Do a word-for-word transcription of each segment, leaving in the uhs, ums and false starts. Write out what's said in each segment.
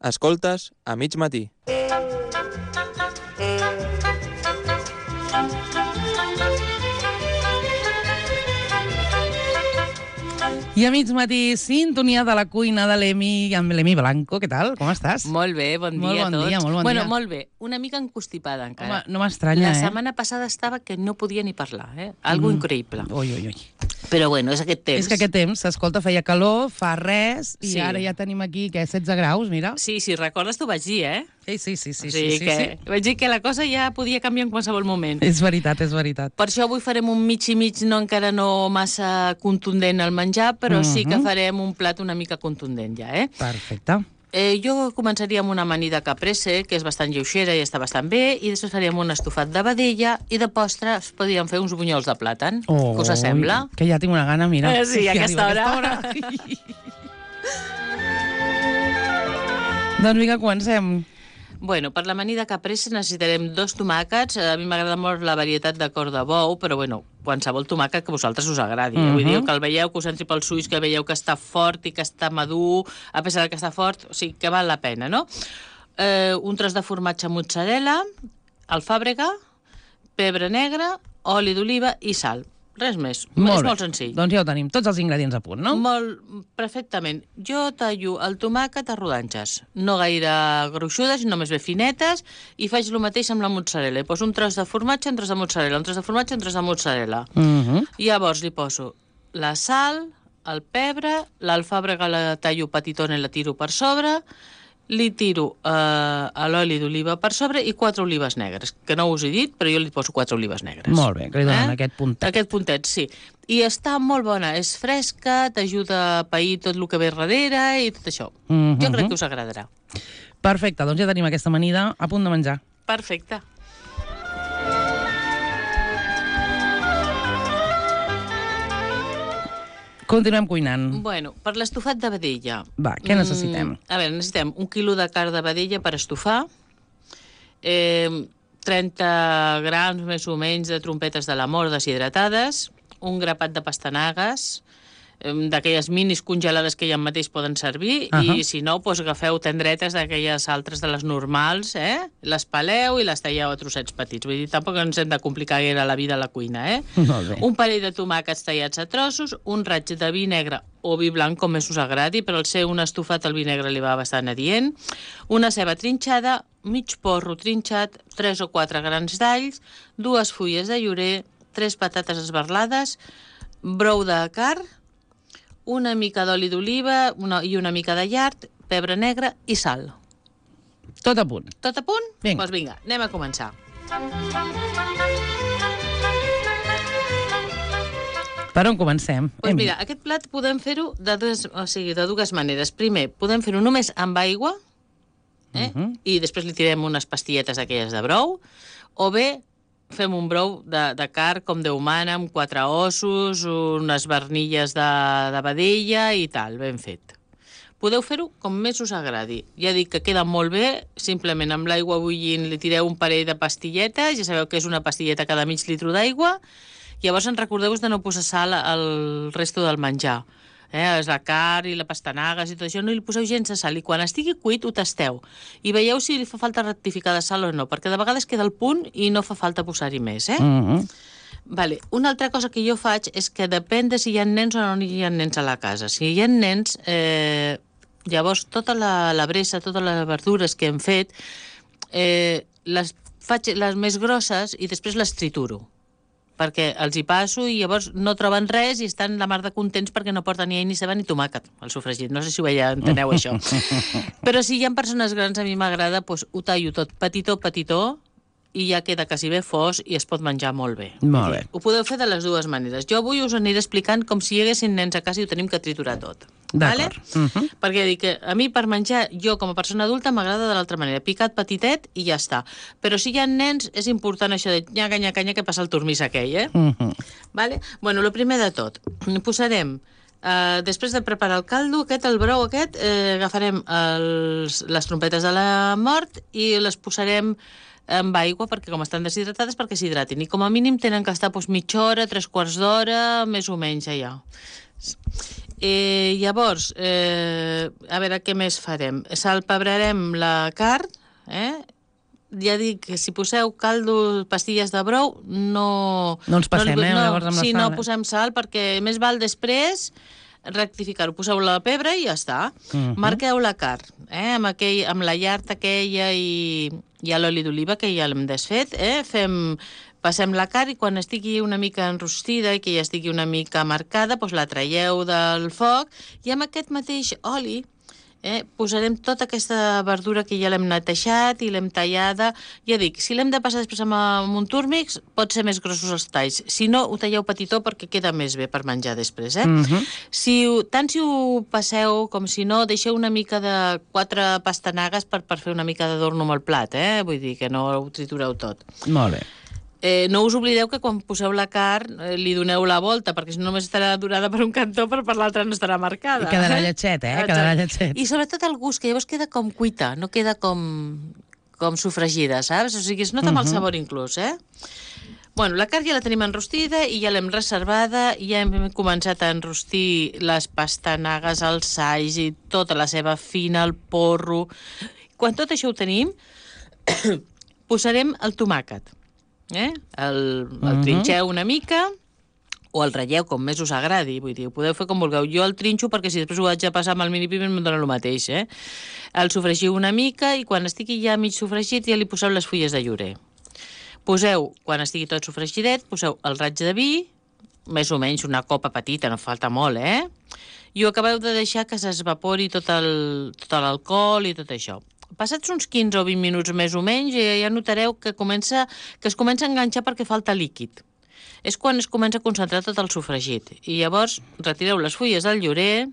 Escoltes a mig matí. I a mig matí, sintonia de la cuina de l'Emi, amb l'Emi Blanco. Què tal? Com estàs? Molt bé, bon dia molt bon a tots. Dia, molt bon bueno, dia. molt bé. Una mica encostipada encara. Home, no m'estranya, La eh? setmana passada estava que no podia ni parlar, eh? Algo mm. increïble. Ui, ui, ui. Però bueno, és aquest temps. És que aquest temps, escolta, feia calor, fa res, i Sí. ara ja tenim aquí, què, setze graus, mira. Sí, sí, recordes, t'ho vaig dir, eh? Sí, sí, sí, sí, o sigui sí, que sí. vaig dir que la cosa ja podia canviar en qualsevol moment. És veritat, és veritat. Per això avui farem un mig i mig, no encara no massa contundent al menjar, però sí que farem un plat una mica contundent ja, eh? Perfecte. Eh, jo començaria amb una amanida caprese, que és bastant lleugera i està bastant bé, i després faríem un estofat de vedella, i de postre es podrien fer uns bunyols de plàtan. Oh, Què us sembla? Que ja tinc una gana, mira. Eh, sí, a que aquesta arriba hora. a aquesta hora. Doncs vinga, comencem. Bueno, per l'amanida caprese necessitarem dos tomàquets. A mi m'agrada molt la varietat de cor de bou, però bueno, qualsevol tomàquet que a vosaltres us agradi. Uh -huh. Vull dir que el veieu, que us entri pels ulls, que veieu que està fort i que està madur, a pesar de que està fort, o sigui, que val la pena, no? Eh, un tros de formatge mozzarella, alfàbrega, pebre negre, oli d'oliva i sal. Res més. Molt és bé. molt senzill. Doncs ja ho tenim, tots els ingredients a punt, no? Molt, perfectament. Jo tallo el tomàquet a rodanxes, no gaire gruixudes, només bé finetes, i faig el mateix amb la mozzarella. Hi poso un tros de formatge, un tros de mozzarella, un tros de formatge, un tros de mozzarella. Uh -huh. Llavors li poso la sal, el pebre, l'alfàbrega la tallo petitona i la tiro per sobre, li tiro eh, l'oli d'oliva per sobre i quatre olives negres, que no us he dit, però jo li poso quatre olives negres. Molt bé, que li donen eh? aquest puntet. Aquest puntet, sí. I està molt bona, és fresca, t'ajuda a pair tot el que ve darrere i tot això. Uh -huh. Jo crec que us agradarà. Perfecte, doncs ja tenim aquesta amanida a punt de menjar. Perfecte. Continuem cuinant. Bueno, per l'estofat de vedella... Va, què necessitem? Mm, a veure, necessitem un quilo de carn de vedella per estofar, eh, trenta grams més o menys de trompetes de l'amor deshidratades, un grapat de pastanagues, eh, d'aquelles minis congelades que ja mateix poden servir, uh -huh. i si no, doncs agafeu tendretes d'aquelles altres de les normals, eh? Les peleu i les talleu a trossets petits. Vull dir, tampoc ens hem de complicar gaire la vida a la cuina, eh? Molt bé. Un parell de tomàquets tallats a trossos, un raig de vi negre o vi blanc, com més us agradi, però al ser un estofat el vi negre li va bastant adient, una ceba trinxada, mig porro trinxat, tres o quatre grans d'alls, dues fulles de llorer, tres patates esberlades, brou de carn, una mica d'oli d'oliva una, i una mica de llard, pebre negre i sal. Tot a punt. Tot a punt? Vinga. Doncs vinga, anem a començar. Per on comencem? Doncs mira, aquest plat podem fer-ho de, dues, o sigui, de dues maneres. Primer, podem fer-ho només amb aigua, eh? uh -huh. i després li tirem unes pastilletes d'aquelles de brou, o bé fem un brou de, de carn com Déu mana, amb quatre ossos, unes vernilles de, de vedella i tal, ben fet. Podeu fer-ho com més us agradi. Ja dic que queda molt bé, simplement amb l'aigua bullint li tireu un parell de pastilletes, ja sabeu que és una pastilleta cada mig litre d'aigua, llavors en recordeu-vos de no posar sal al resto del menjar. Eh, és la carn i la pastanagues i tot això, no li poseu gens de sal, i quan estigui cuit ho tasteu i veieu si li fa falta rectificar de sal o no, perquè de vegades queda el punt i no fa falta posar-hi més, eh? Uh -huh. Vale. Una altra cosa que jo faig és que depèn de si hi ha nens o no hi ha nens a la casa. Si hi ha nens, eh, llavors tota la, la bressa, totes les verdures que hem fet, eh, les faig les més grosses i després les trituro, perquè els hi passo i llavors no troben res i estan la mar de contents perquè no porten ni all, ni ceba ni tomàquet, el sofregit. No sé si ho veia, enteneu això. Però si hi ha persones grans, a mi m'agrada, doncs ho tallo tot petitó, petitó, i ja queda quasi bé fos i es pot menjar molt bé. Molt bé. Ho podeu fer de les dues maneres. Jo avui us aniré explicant com si hi haguessin nens a casa i ho tenim que triturar tot. D'acord. Vale? Uh -huh. Perquè dic que a mi per menjar, jo com a persona adulta m'agrada de l'altra manera, picat petitet i ja està. Però si hi ha nens és important això de nyaca, nyaca, nyaca, que passa el turmís aquell, eh? Uh -huh. Vale? Bueno, el primer de tot, posarem, eh, després de preparar el caldo aquest, el brou aquest, eh, agafarem els, les trompetes de la mort i les posarem amb aigua, perquè com estan deshidratades, perquè s'hidratin. I com a mínim tenen que estar doncs, mitja hora, tres quarts d'hora, més o menys allà. Eh, llavors, eh, a veure què més farem. Salpebrarem la carn, eh? Ja dic que si poseu caldo, pastilles de brou, no... No ens passem, no, eh, no, llavors amb la sí, sal, no eh? posem sal, perquè més val després rectificar-ho. Poseu la pebre i ja està. Mhm. Marqueu la carn, eh? amb, aquell, amb la llard aquella i, i l'oli d'oliva, que ja l'hem desfet. Eh? Fem, passem la carn i quan estigui una mica enrostida i que ja estigui una mica marcada, doncs la traieu del foc i amb aquest mateix oli Eh, posarem tota aquesta verdura que ja l'hem netejat i l'hem tallada. Ja dic, si l'hem de passar després amb, amb un túrmix, pot ser més grossos els talls. Si no, ho talleu petitó perquè queda més bé per menjar després. Eh? Mhm. Si, tant si ho passeu com si no, deixeu una mica de quatre pastanagues per, per fer una mica d'adorno amb el plat. Eh? Vull dir que no ho tritureu tot. Molt bé. Eh, no us oblideu que quan poseu la carn eh, li doneu la volta, perquè si no només estarà durada per un cantó, però per l'altre no estarà marcada. I quedarà lletget, eh? Quedarà lletget. I sobretot el gust, que llavors queda com cuita, no queda com, com sofregida, saps? O sigui, es nota uh -huh. el sabor inclús, eh? Bueno, la carn ja la tenim enrostida i ja l'hem reservada, ja hem començat a enrostir les pastanagues, els alls i tota la seva fina, el porro. Quan tot això ho tenim, posarem el tomàquet. Eh? El, el Uh-huh. trinxeu una mica o el ratlleu com més us agradi, vull dir, ho podeu fer com vulgueu. Jo el trinxo perquè si després ho haig de passar amb el mini piment em dona el mateix, eh? El sofregiu una mica i quan estigui ja mig sofregit ja li poseu les fulles de llorer. Poseu, quan estigui tot sofregidet, poseu el raig de vi, més o menys una copa petita, no falta molt, eh? I ho acabeu de deixar que s'esvapori tot el, tot l'alcohol i tot això. Passats uns quinze o vint minuts més o menys, ja notareu que, comença, que es comença a enganxar perquè falta líquid. És quan es comença a concentrar tot el sofregit. I llavors retireu les fulles del llorer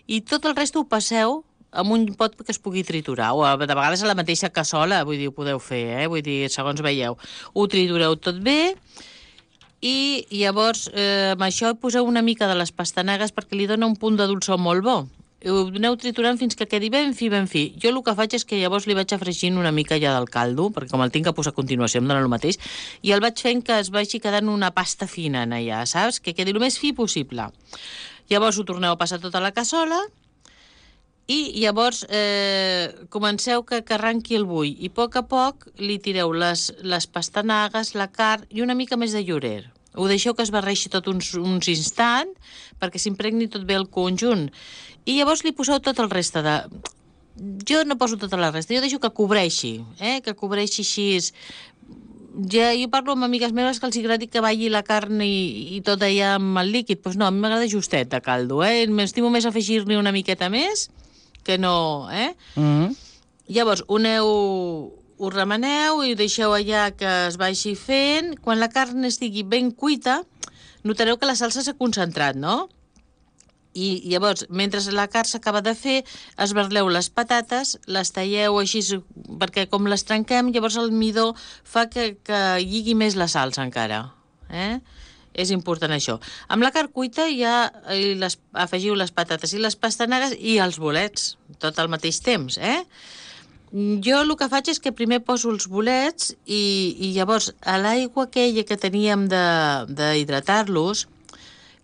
i tot el rest ho passeu amb un pot que es pugui triturar. O de vegades a la mateixa cassola, vull dir, ho podeu fer, eh? Vull dir, segons veieu. Ho tritureu tot bé i llavors eh, amb això poseu una mica de les pastanagues perquè li dona un punt de dolçor molt bo. Ho aneu triturant fins que quedi ben fi, ben fi. Jo el que faig és que llavors li vaig afregint una mica ja del caldo, perquè com el tinc a posar a continuació em dona el mateix, i el vaig fent que es vagi quedant una pasta fina en allà, saps? Que quedi el més fi possible. Llavors ho torneu a passar tota la cassola i llavors eh, comenceu que, que arranqui el bull i a poc a poc li tireu les, les pastanagues, la carn i una mica més de llorer. Ho deixeu que es barreixi tot uns, uns instants perquè s'impregni tot bé el conjunt. I llavors li poseu tot el reste de... Jo no poso tota la resta, jo deixo que cobreixi, eh? que cobreixi així... Ja, jo parlo amb amigues meves que els agradi que balli la carn i, i tot allà amb el líquid. Doncs pues no, a mi m'agrada justet de caldo, eh? M'estimo més afegir-li una miqueta més que no, eh? Mm. Llavors, ho aneu... Ho remeneu i ho deixeu allà que es vagi fent. Quan la carn estigui ben cuita, notareu que la salsa s'ha concentrat, no? I llavors, mentre la carn s'acaba de fer, esberleu les patates, les talleu així, perquè com les trenquem, llavors el midó fa que, que lligui més la salsa encara. Eh? És important això. Amb la carn cuita ja les, afegiu les patates i les pastanagues i els bolets, tot al mateix temps, eh? Jo el que faig és que primer poso els bolets i, i llavors a l'aigua aquella que teníem d'hidratar-los,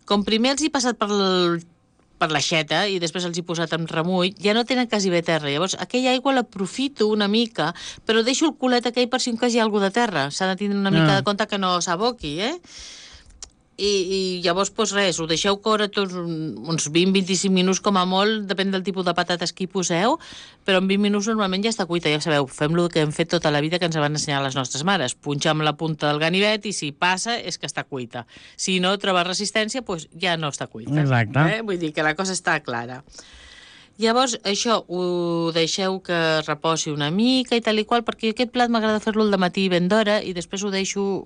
com primer els he passat per, el, per l'aixeta i després els he posat amb remull, ja no tenen quasi bé terra. Llavors aquella aigua l'aprofito una mica, però deixo el culet aquell per si en cas hi ha alguna de terra. S'ha de tindre una mica Ah. de compte que no s'aboqui, eh? I, i llavors, doncs res, ho deixeu córrer tots uns vint a vint-i-cinc minuts com a molt, depèn del tipus de patates que hi poseu, però en vint minuts normalment ja està cuita, ja sabeu, fem el que hem fet tota la vida que ens van ensenyar les nostres mares, punxar amb la punta del ganivet i si passa és que està cuita. Si no troba resistència, doncs ja no està cuita. Exacte. Eh? Vull dir que la cosa està clara. Llavors, això ho deixeu que reposi una mica i tal i qual, perquè aquest plat m'agrada fer-lo al dematí ben d'hora i després ho deixo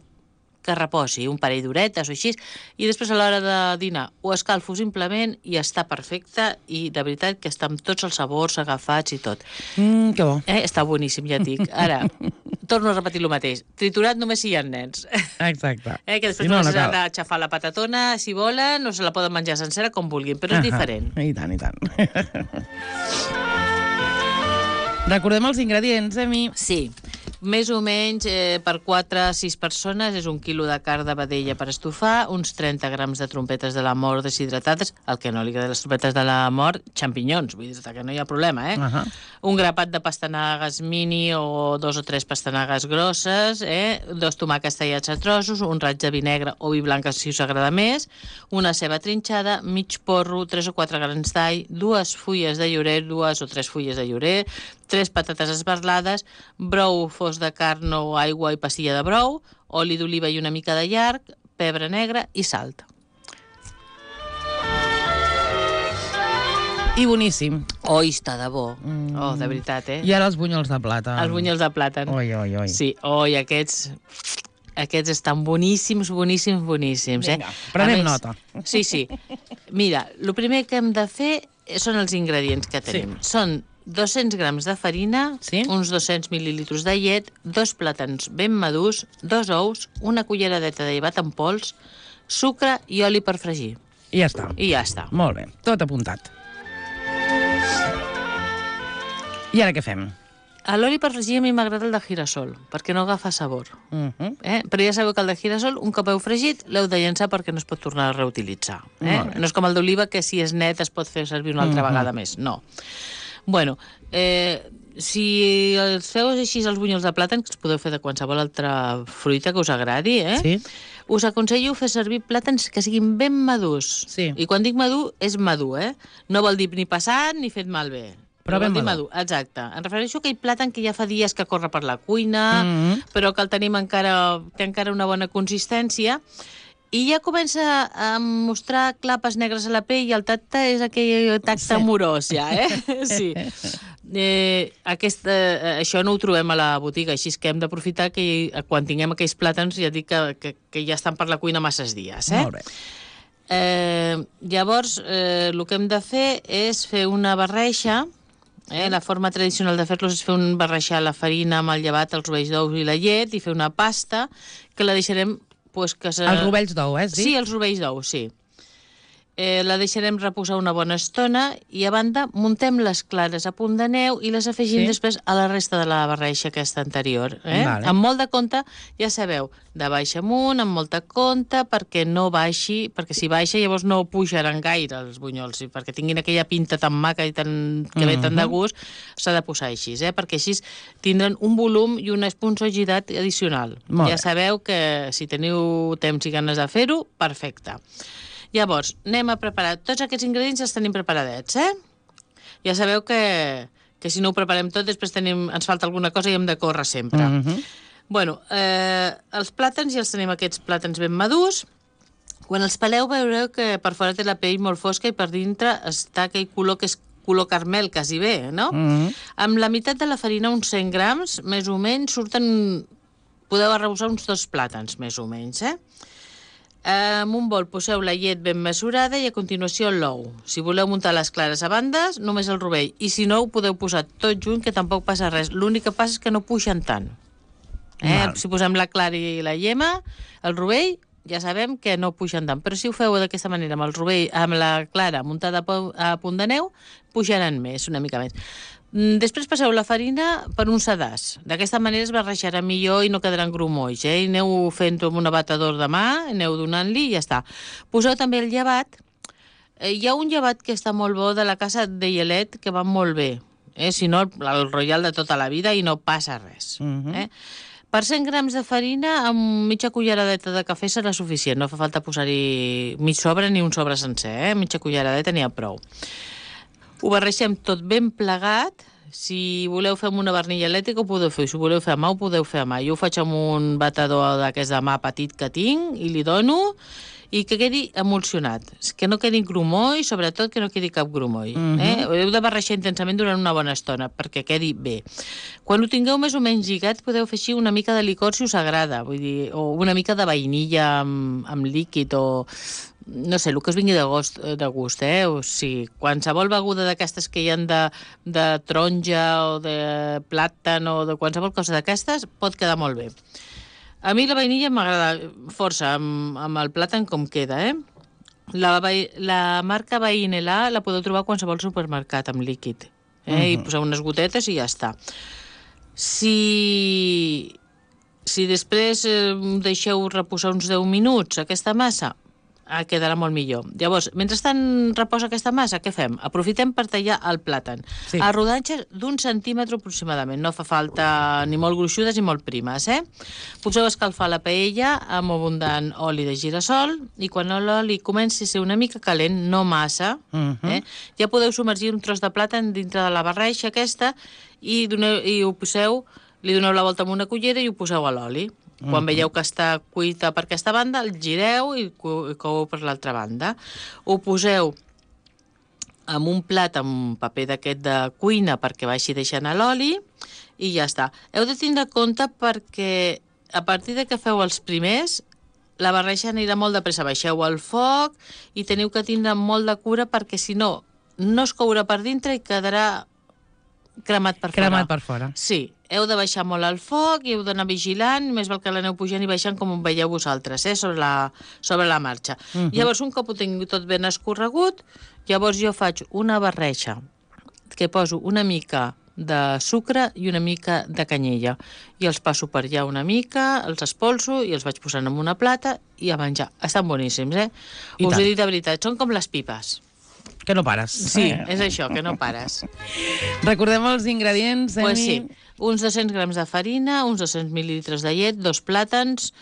que reposi un parell d'horetes o així, i després a l'hora de dinar ho escalfo simplement i està perfecte i de veritat que està amb tots els sabors agafats i tot. Mm, que bo. Eh? Està boníssim, ja et dic. Ara, torno a repetir el mateix. Triturat només si hi ha nens. Exacte. Eh? Que després Si no, no, no s'ha cal. d'aixafar la patatona, si volen, o se la poden menjar sencera com vulguin, però és diferent. I tant, i tant. Recordem els ingredients, Emi. Sí. més o menys eh, per quatre a sis persones és un quilo de carn de vedella per estofar, uns trenta grams de trompetes de la mort deshidratades, el que no li agrada les trompetes de la mort, xampinyons, vull dir que no hi ha problema, eh? Uh-huh. Un grapat de pastanagues mini o dos o tres pastanagues grosses, eh? Dos tomàquets tallats a trossos, un raig de vi negre o vi blanc si us agrada més, una ceba trinxada, mig porro, tres o quatre grans d'all, dues fulles de llorer, dues o tres fulles de llorer, tres patates esberlades, brou fos de carn o aigua i pastilla de brou, oli d'oliva i una mica de llarg, pebre negre i salt. I boníssim. Oi, està de bo. Mm. Oh, de veritat, eh? I ara els bunyols de plàtan. Els bunyols de plàtan. Oi, oi, oi. Sí, oi, aquests... Aquests estan boníssims, boníssims, boníssims. Vinga, eh? prenem més, nota. Sí, sí. Mira, el primer que hem de fer són els ingredients que tenim. Sí. Són dos-cents grams de farina, sí? uns dos-cents mil·lilitres de llet, dos plàtans ben madurs, dos ous, una culleradeta de llevat en pols, sucre i oli per fregir. I ja està. I ja està. Molt bé, tot apuntat. I ara què fem? A l'oli per fregir a mi m'agrada el de girasol, perquè no agafa sabor. Uh -huh. eh? Però ja sabeu que el de girasol, un cop heu fregit, l'heu de llençar perquè no es pot tornar a reutilitzar. Eh? No és com el d'oliva, que si és net es pot fer servir una altra uh -huh. vegada més. No. Bueno, eh, si els feu així els bunyols de plàtan, que els podeu fer de qualsevol altra fruita que us agradi, eh? Sí. Us aconsello fer servir plàtans que siguin ben madurs. Sí. I quan dic madur, és madur, eh? No vol dir ni passat ni fet malbé. Però ben madur. madur. Exacte. Em refereixo a aquell plàtan que ja fa dies que corre per la cuina, mm-hmm. però que el tenim encara, té encara una bona consistència, i ja comença a mostrar clapes negres a la pell i el tacte és aquell tacte sí. amorós, ja, eh? Sí. Eh, aquesta, això no ho trobem a la botiga, així que hem d'aprofitar que quan tinguem aquells plàtans ja dic que, que, que ja estan per la cuina masses dies, eh? Molt bé. Eh, llavors, eh, el que hem de fer és fer una barreja. Eh, la forma tradicional de fer-los és fer un barrejar la farina amb el llevat, els rovells d'ous i la llet i fer una pasta que la deixarem... Pues, que se... Els rovells d'ou, eh? Has dit? Sí, els rovells d'ou, sí. Eh, la deixarem reposar una bona estona i, a banda, muntem les clares a punt de neu i les afegim sí. després a la resta de la barreja aquesta anterior. Eh? Vale. Amb molt de compte, ja sabeu, de baix amunt, amb molt de compte, perquè no baixi, perquè si baixa llavors no pujaran gaire els bunyols, i perquè tinguin aquella pinta tan maca i tan, que ve tan de gust, s'ha de posar així, eh? Perquè així tindran un volum i una esponjositat addicional. Molt ja bé. sabeu que si teniu temps i ganes de fer-ho, perfecte. Llavors, anem a preparar... Tots aquests ingredients els tenim preparadets, eh? Ja sabeu que, que si no ho preparem tot, després tenim, ens falta alguna cosa i hem de córrer sempre. Mm-hmm. Bueno, eh, els plàtans, ja els tenim aquests plàtans ben madurs. Quan els peleu veureu que per fora té la pell molt fosca i per dintre està aquell color que és color carmel, quasi bé, no? Mm-hmm. Amb la meitat de la farina, uns cent grams, més o menys, surten... Podeu arrebossar uns dos plàtans, més o menys, eh? En un bol poseu la llet ben mesurada i a continuació l'ou. Si voleu muntar les clares a bandes, només el rovell. I si no, ho podeu posar tot junt, que tampoc passa res. L'únic que passa és que no puixen tant. Eh? Si posem la clara i la llema, el rovell, ja sabem que no puixen tant. Però si ho feu d'aquesta manera, amb el rovell, amb la clara muntada a punt de neu, pujaran més, una mica més. Després passeu la farina per un sedàs. D'aquesta manera es barrejarà millor i no quedaran grumolls, eh? I aneu fent-ho amb un abatedor de mà, aneu donant-li i ja està. Poseu també el llevat. Eh, hi ha un llevat que està molt bo de la casa de Yelet que va molt bé. Eh? Si no, el, el Royal de tota la vida i no passa res. Mm-hmm. eh? Per cent grams de farina, amb mitja culleradeta de cafè serà suficient. No fa falta posar-hi mig sobre ni un sobre sencer, eh? Mitja culleradeta n'hi ha prou. Ho barregem tot ben plegat. Si voleu fer amb una barnilla elèctrica ho podeu fer. Si ho voleu fer a mà ho podeu fer a mà. Jo ho faig amb un batedor d'aquest de mà petit que tinc i li dono i que quedi emulsionat. Que no quedi grumoll, sobretot que no quedi cap grumoll. Mm-hmm. eh? Heu de barrejar intensament durant una bona estona perquè quedi bé. Quan ho tingueu més o menys lligat podeu fer així una mica de licor si us agrada, vull dir, o una mica de vainilla amb, amb líquid o... no sé, el que us vingui de gust, de gust eh? O sigui, qualsevol beguda d'aquestes que hi ha de, de taronja o de plàtan o de qualsevol cosa d'aquestes pot quedar molt bé. A mi la vainilla m'agrada força amb, amb el plàtan com queda, eh? La, la marca Vainela la podeu trobar a qualsevol supermercat amb líquid, eh? Uh-huh. I posar unes gotetes i ja està. Si, si després eh, deixeu reposar uns deu minuts aquesta massa, eh, quedarà molt millor. Llavors, mentrestant reposa aquesta massa, què fem? Aprofitem per tallar el plàtan. Sí. A rodanxes d'un centímetre aproximadament. No fa falta ni molt gruixudes ni molt primes, eh? Poseu a escalfar la paella amb abundant oli de girassol i quan l'oli comenci a ser una mica calent, no massa, Mhm. eh? Ja podeu submergir un tros de plàtan dintre de la barreixa aquesta i, doneu, i ho poseu, li doneu la volta amb una cullera i ho poseu a l'oli. Quan veieu que està cuita per aquesta banda, el gireu i co- i coueu per l'altra banda. Ho poseu en un plat amb paper d'aquest de cuina perquè vagi deixant a l'oli i ja està. Heu de tindre compte perquè a partir de que feu els primers, la barreja anirà molt de pressa. Baixeu el foc i teniu que tindre molt de cura perquè si no, no es courà per dintre i quedarà cremat per fora. Cremat per fora. Sí, heu de baixar molt el foc i heu d'anar vigilant, més val que l'aneu pujant i baixant com ho veieu vosaltres, eh, sobre la, sobre la marxa. Mhm. Llavors, un cop ho tinc tot ben escorregut, llavors jo faig una barreja que poso una mica de sucre i una mica de canyella. I els passo per allà una mica, els espolso i els vaig posant en una plata i a menjar. Estan boníssims, eh? I Us tant. he dit de veritat, són com les pipes. Que no pares. Sí, Eh. és això, que no pares. Recordem els ingredients, Emi. Pues sí, uns dos-cents grams de farina, uns dos-cents mil·lilitres de llet, dos plàtans,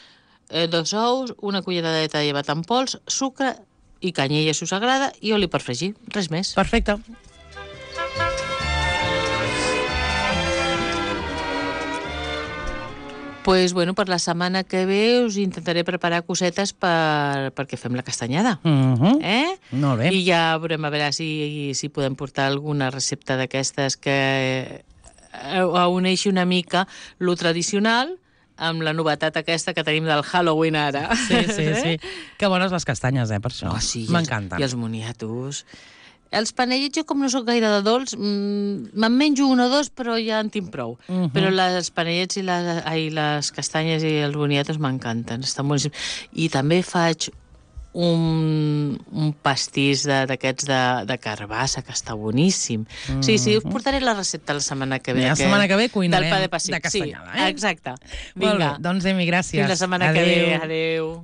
eh, dos ous, una culleradeta de llevat en pols, sucre i canyella, si us agrada, i oli per fregir. Res més. Perfecte. Pues, bueno, per la setmana que ve us intentaré preparar cosetes per, perquè fem la castanyada. Mhm. Eh? Molt bé. I ja veurem a veure si, si podem portar alguna recepta d'aquestes que eh, uneixi una mica lo tradicional amb la novetat aquesta que tenim del Halloween ara. Sí, sí, sí. Que bones les castanyes, eh, per això. Oh, sí, i els- M'encanten. I els moniatos. Els panellets, jo com no sóc gaire de dolç, mm, me'n menjo un o dos, però ja en tinc prou. Mhm. Però les panellets i les, ai, les castanyes i els boniatos m'encanten, estan boníssims. I també faig un, un pastís de- d'aquests de, de carbassa, que està boníssim. Mm -hmm. Sí, sí, us portaré la recepta la setmana que ve. La setmana que ve cuinarem del pa de passi. de castanyada, sí, eh? exacte. Molt bé, Vinga, doncs, Emi, gràcies. fins la setmana que ve. Adéu.